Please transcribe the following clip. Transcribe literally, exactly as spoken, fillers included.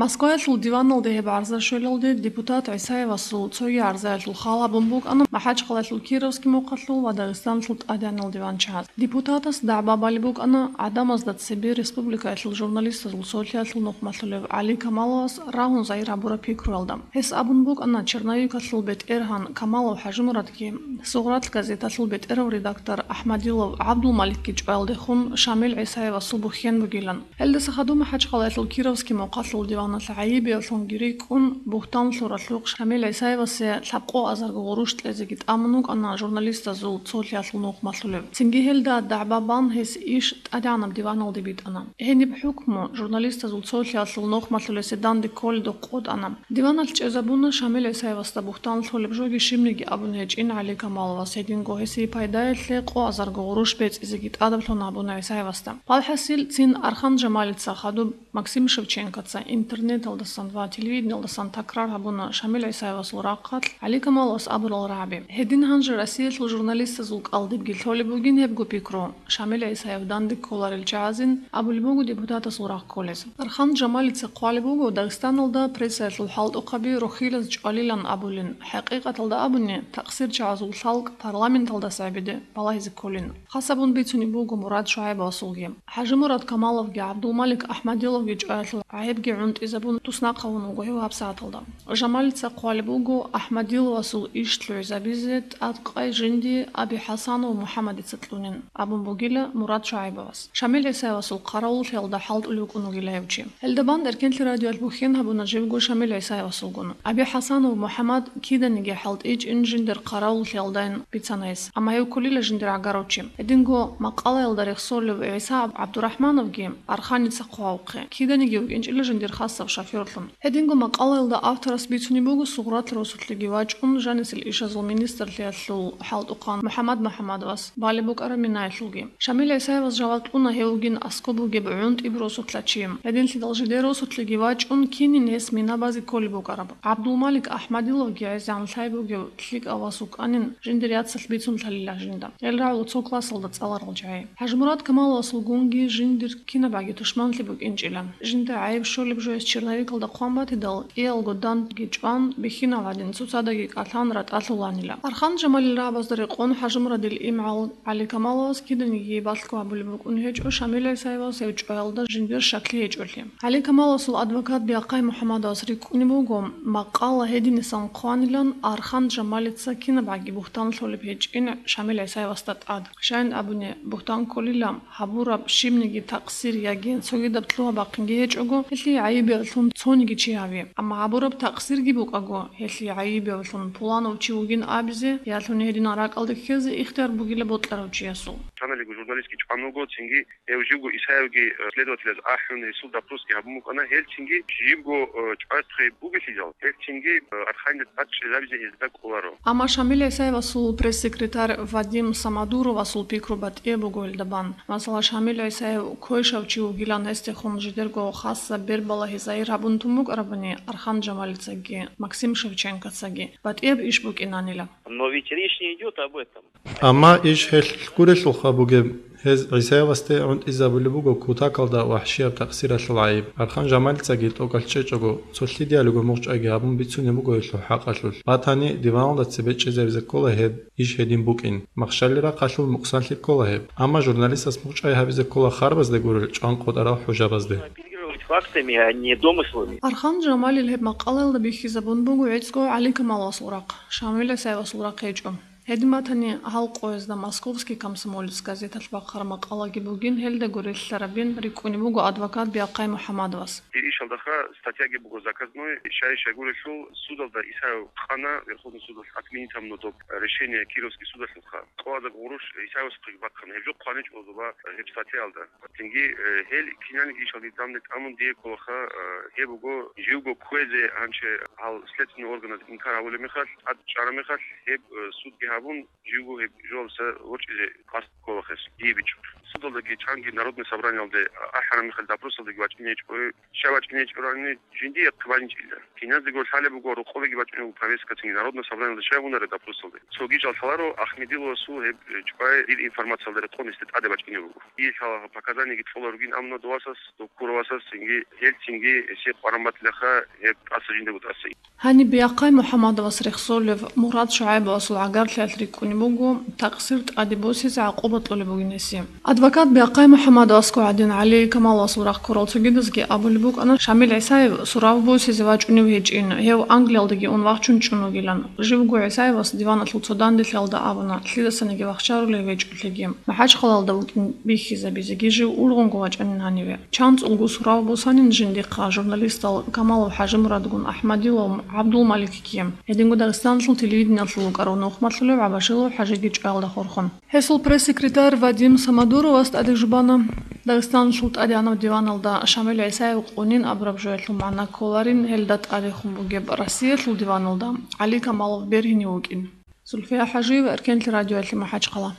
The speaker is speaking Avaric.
Москваялъул диваналде гьеб гӀарза щвелалде депутат ГӀисаевасул цоги гӀарзаялъул хал гьабун букӀана МахӀачхъалаялъул Кировский мухъалъул ва Дагъистаналъул тӀадегӀанал диванчагӀаз. Депутатас дагӀба балеб букӀана гӀадамазда цебе республикаялъул журналистазул цолъиялъул нухмалъулев ГӀали Камаловас рагьун загьир гьабураб пикруялда. Гьес абун букӀана черновикалъул бетӀергьан Камалов ХӀажимурадги, «Сугърат» газеталъул бетӀерав редактор Ахмадилов ГӀабдулмаликги чӀваялдехун Шамил ГӀисаевасул бухьен бугилан. Гьелдаса хадуб МахӀачхъалаялъул Кировский мухъалъул диваналъ гӀайибиялъунги рикӀкӀун, бугьтан лъуралъухъ Шамил ГӀисаевасе лъабкъо азарго гъурущ кьезеги тӀамун вукӀана журналистазул цолъиялъул нухмалъулев. Цинги гьелда дагӀба бан гьес иш тӀадегӀанаб диваналде битӀана. Гьениб хӀукму журналистазул цолъиялъул нухмалъулесе данде кколедухъ къотӀана. Диваналъ чӀезабуна Шамил ГӀисаевасда бугьтан лъолеб жоги щибниги абун гьечӀин ГӀали Камаловас, гьединго гьесие пайдаялъе къо азарго гъурущ бецӀизеги тӀадаблъун абуна ГӀисаевасда. Валхъасил, цин Архан Жамалица хадуб Максим Шевченкоца интернеталдасан ва телевидениялдасан такрар гьабуна Шамил ГӀисаевасул рахъалъ ГӀали Камаловас абурал рагӀаби. Гьедин гьанже Россиялъул журналистазул кӀалдибги лъолеб бугин гьебго пикру. Шамил ГӀисаев данде кколарел чагӀазин абулеб буго депутатасул рагъ кколез. Архан Жамалица хъвалеб буго Дагъистаналда прессаялъул хӀалтӀухъаби рохилаз чӀвалилан абулин, хӀакъикъаталда абуни, такъсирчагӀазул лъалкӀ парламенталдаса гӀебеде балагьизе кколин. Хасабун бицунеб буго Мурад ШугӀайбовасулги. ХӀажимурад Камаловги ГӀабдулмалик Ахмадиловги чӀваялъул гӀайибги гӀунтӀизабун туснахъавун вуго гьев гьабсагӀаталда. Жамалица хъвалеб буго Ахмадиловасул иш лъугӀизабизе тӀадкъай жинди Аби ХӀасанов МухӀаммадица кьунин, абун бугила Мурад ШугӀайбовас. Шамил ГӀисаевасул хъаравуллъиялда хӀалтӀулев вукӀун вугила гьев чи. Гьелда бан Эркенлъи радиоялъ бухьен гьабуна живго Шамил ГӀисаевасулгун. Аби ХӀасанов МухӀаммад киданиги хӀалтӀичӀин жиндир хъаравуллъиялдайин бицана гьес, амма гьев кколила жиндир гӀагарав чи. Гьединго макъалаялда рехсолев ГӀиса ГӀабдурахӀмановги Арханица хъвавухъе, киданиги вукӀинчӀила жиндир хасаб шофёрлъун. Гьединго макъалаялда авторас бицунеб буго Сугърат росулъеги вачӀун, жанисел ишазул министрлъиялъул хӀалтӀухъан МухӀаммад МухӀаммадовас балеб букӀараб минаялъулги. Шамил ГӀисаевас жаваб кьуна гьев вугин аскӀоб бугеб гӀунтӀиб росулъа чи. Гьединлъидал жидер росулъеги вачӀун, кинин гьес мина базе кколеб букӀараб. ГӀабдулмалик Ахмадиловги гӀезегӀан лъай бугев лъикӀав вас вукӀанин, жиндир яцалъ бицунлъалила жинда. Гьел рагӀула цо классалда цӀаларал жагьи. ХӀажимурад Камаловасулгунги жиндир кинабгӀаги тушманлъи букӀинчӀила. Жинда гӀайиб щолеб жо гьес черновикалда хъван батидал, кӀиялго дандги чӀван, бихьинал гӀадин, цоцаздаги кӀалъан ратӀалъуланила. Архан Жамалил рагӀабазда рекъон ХӀажимурадил имгӀал ГӀали Камаловас киданиги балъго гьабулеб букӀун гьечӀо Шамил ГӀисаевас гьев чӀваялда жиндир щаклъи гьечӀолъи. ГӀали Камаловасул адвокат Биахъай МухӀаммадовас рикӀкӀунеб буго, макъала гьединасан хъванилан Архан Жамалица кинабгӀаги бугьтан лъолеб гьечӀин Шамил ГӀисаевасда тӀад. Щайин абуни, бугьтан кколила, гьабураб щибниги такъсир яги цогидаб лъугьа-бахъинги гьечӀого, гьелъие гӀайибиялъун цониги чи гьави. Амма гьабураб такъсирги букӀаго, гьелъие гӀайибиялъун пуланав чи вугин абизе, ялъуни гьединал ракӀалде ккезе ихтияр бугила бокьарав чиясул. Чаналиго журналистги чӀван вуго, цинги гьев живго Исаевги, э, следователаз ахӀун, гьесул допросги гьабун букӀана, гьел цинги живго, э, чӀвазе бугелъидал, гьел цинги, э, Арханида тӀад чӀезабизе гьезда кӀоларо. Амма Шамил ГӀисаевасул пресс-секретарь Вадим Самодуровасул пикру батӀияб буго гьелда бан. Масала, Шамил ГӀисаев квешав чи вугилан гьесдехун жидерго хасаб бербалагьи загьир гьабун тун букӀарабани, Архан Жамалицаги Максим Шевченкоцаги батӀияб иш букӀинанила. Но ведь речь не идёт об этом. Амма иш гьелъ гурелъулха бугеб, гьез ГӀисаевасде гӀунтӀизабулеб буго кутакалда вахӀшияб такъсиралъул гӀайиб. Архан Жамалицаги тӀокӀалъ чӀечӀого, цо лъидиялиго мугъчӀвайги гьабун бицунеб буго гьелъул хӀакъалъулъ. Батани, диваналда цебе чӀезабизе ккола гьеб иш гьедин букӀин. Махщалил рахъалъул мукъсанлъи ккола гьеб. Амма журналистас мугъчӀвай гьабизе ккола харбазде гурел чӀван къотӀарал хӀужабазде. Оперировать фактами, а не домыслами. Архан Жамалил гьеб макъалаялда бихьизабун буго гӀицӀго ГӀали Камаловасул рахъ, Шамил ГӀисаевасул рахъ гьечӀо. Гьедин батани, гьал къоязда «Московский комсомолец» газеталъ бахъараб макъалаги бугин, гьелдаго релълъарабин рикӀкӀунеб буго адвокат Биахъай МухӀаммадовас. Гьеб ишалдаха статьяги буго заказной, щай-щай гурелъул, судалда Исаев къана, Верховный судалъ отменить гьабуна доб решение Кировский судалъулха. Къоязда гъурущ Исаевасухъеги бахъана, гьеб жо хъваничӀо доба гьеб статьяялда. Цинги, э, гьел киналги ишалги данде тӀамун дие кколаха, э, гьеб буго, живго кквезе гьанже гьал следственный органаз инкар гьабулеб мехалъ, тӀад чӀараб мехалъ, гьеб, э, судги гьабун, живго гьеб жоялдаса ворчӀизе къасд кколахъес дие бичӀчӀо. Судалдаги чанги Народный собраниялде ахӀараб мехалъ допросалдаги вачӀине гьечӀо. Щай вачӀине гьечӀорани, жиндие хъваничӀила. Киназдаго лъалеб буго, рокъобеги бачӀунеб буго повесткацинги, Народный собраниялда щай гьунареб допросалде. Цоги жал лъаларо, Ахмедиловасул гьеб, э, чӀвай дир информациялда рекъон гьесда тӀаде бачӀунеб буго. Дие лъала показаниеги кьола ругин, амма довасас, доккуровасас цинги, гьел цинги гьесие къваран батилаха гьеб тӀаса жиндаго тӀаса. Гьаниб Бяхъай МухӀамадовас рехсолев Мурад ШугӀайбовасул гӀагарлъиялъ рикӀкӀунеб буго, такъсир тӀаде босизе гӀакъуба кьолеб бугин гьесие. Адвокат Бяхъай МухӀамадовасго гӀадин, ГӀали Камаловасул рахъ ккурал цогидазги абулеб букӀана, Шамил ГӀисаев сурав босизе вачӀунев гьечӀин, гьев Англиялдаги ун вахчун чӀун вугилан. Живго ГӀисаевас диваналъул цо данделъиялда абуна, лъидасаниги вахчарулев гьечӀолъиги, МахӀачхъалаялда вукӀин бихьизабизеги жив ургъунго вачӀанин гьаниве. ЧанцӀулго сурав босанин жиндихъа журналистал Камалов ХӀажимурадгун АхӀмадилов ГӀабдулмаликги, гьединго Дагъистаналъул телевидениялъул вукӀарав нухмалъулев ГӀабашилов ХӀажиги чӀваялда хурхун. Гьесул пресс-секретарь Вадим Самодуровас тӀаде жубана, Дагъистаналъул ТӀадегӀанав диваналда Шамил ГӀисаев къунин абураб жоялъул магӀна кколарин, гьелда тӀадехун бугеб Россиялъул диваналда ГӀали Камалов бергьинив вукӀин. Зульфия ХӀажиева, Эркенлъи радиоялъе, МахӀачхъала.